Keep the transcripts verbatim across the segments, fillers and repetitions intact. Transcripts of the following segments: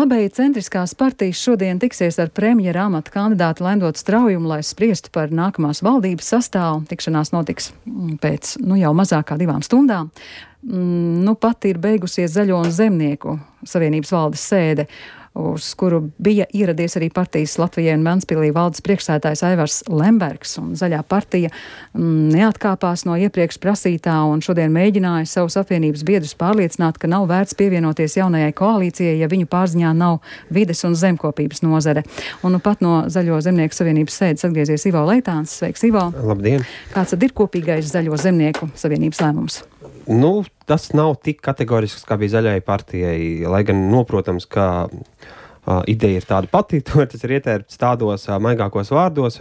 Labēji centriskās partijas šodien tiksies ar premjera amata kandidātu Lendotu Straujumu, lai spriestu par nākamās valdības sastāvu. Tikšanās notiks pēc nu, jau mazāk kā divām stundām. Nu, pat ir beigusies Zaļo un Zemnieku savienības valdes sēde, uz kuru bija ieradies arī partijas Latvijai un Ventspilī valdes priekšsēdētājs Aivars Lembergs, un Zaļā partija mm, neatkāpās no iepriekš prasītā un šodien mēģināja savus apvienības biedrus pārliecināt, ka nav vērts pievienoties jaunajai koalīcijai, ja viņu pārziņā nav vides un zemkopības nozare. Un nu pat no Zaļo Zemnieku savienības sēdes atgriezies Ivo Leitāns. Sveiks, Ivo! Labdien! Kāds tad ir kopīgais Zaļo Zemnieku savienības lēmums? Nu, tas nav tik kategorisks, kā bija Zaļajai partijai, lai gan noprotams, ka uh, ideja ir tāda pati, tas ir ietērpts tādos uh, maigākos vārdos.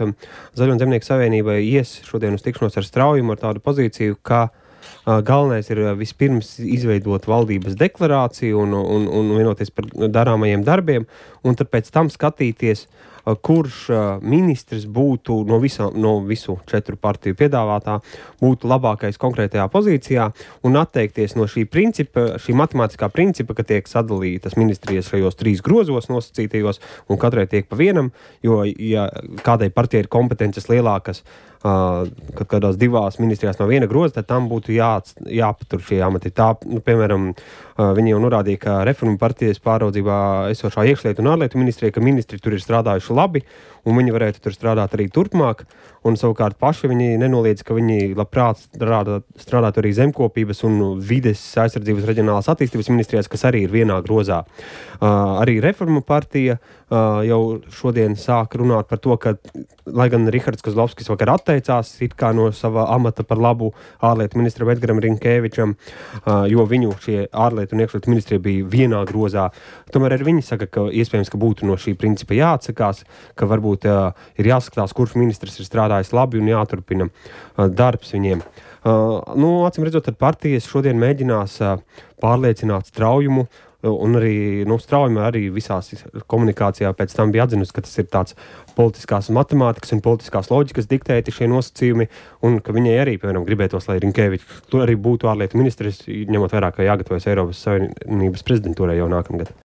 Zaļo un Zemnieku savienībai ies šodien uz tikšanos ar Straujumu ar tādu pozīciju, ka uh, galvenais ir uh, vispirms izveidot valdības deklarāciju un, un, un vienoties par darāmajiem darbiem, un tad pēc tam skatīties, uh, kurš uh, ministrs būtu no, visā, no visu četru partiju piedāvātā, būtu labākais konkrētajā pozīcijā un atteikties no šī principa, šī matemātiskā principa, ka tiek sadalītas ministrijas šajos trīs grozos nosacītajos un katrai tiek pa vienam, jo ja kādai partijai ir kompetences lielākas, uh, kad kādās divās ministrijās no viena groza, tad tam būtu jā, jāpatur šie amati. Tā, nu, piemēram, uh, viņi jau norādīja, ka Reformu partijas pāraudzībā esošā iekšlietu un ārlietu ministrija, ka ministri tur ir strādājuši labi, un viņi varētu tur strādāt arī turpmāk, un savukārt paši viņi nenoliedz, ka viņi labprāt strādāt, strādāt arī zemkopības un vides aizsardzības reģionālās attīstības ministrijās, kas arī ir vienā grozā. Uh, arī Reformu partija uh, jau šodien sāk runāt par to, ka, lai gan Rihards Kozlovskis vakar atteicās it kā no sava amata par labu ārlietu ministram Edgaram Rinkēvičam, uh, jo viņu šie ārlietu un iekšlietu ministrija bija vienā grozā. Tomēr arī viņi saka, ka iespējams, ka būtu no šī principa jāatsakās, ka varbūt uh, ir jāskatās, kurš ministrs ir strādājis labi un jāturpina uh, darbs viņiem. Uh, nu, acīm redzot, tad partijas šodien mēģinās uh, pārliecināt Straujumu, uh, un arī, nu, Straujuma arī visās komunikācijā pēc tam bija atzinusi, ka tas ir tāds politiskās matemātikas un politiskās loģikas diktēti šie nosacījumi, un ka viņai arī, piemēram, gribētos, lai Rinkēvičs tur arī būtu ārlietu ministrs, ņemot vērā, ka jāgatavojas Eiropas Savienības prezidentūrai jau nākamgad.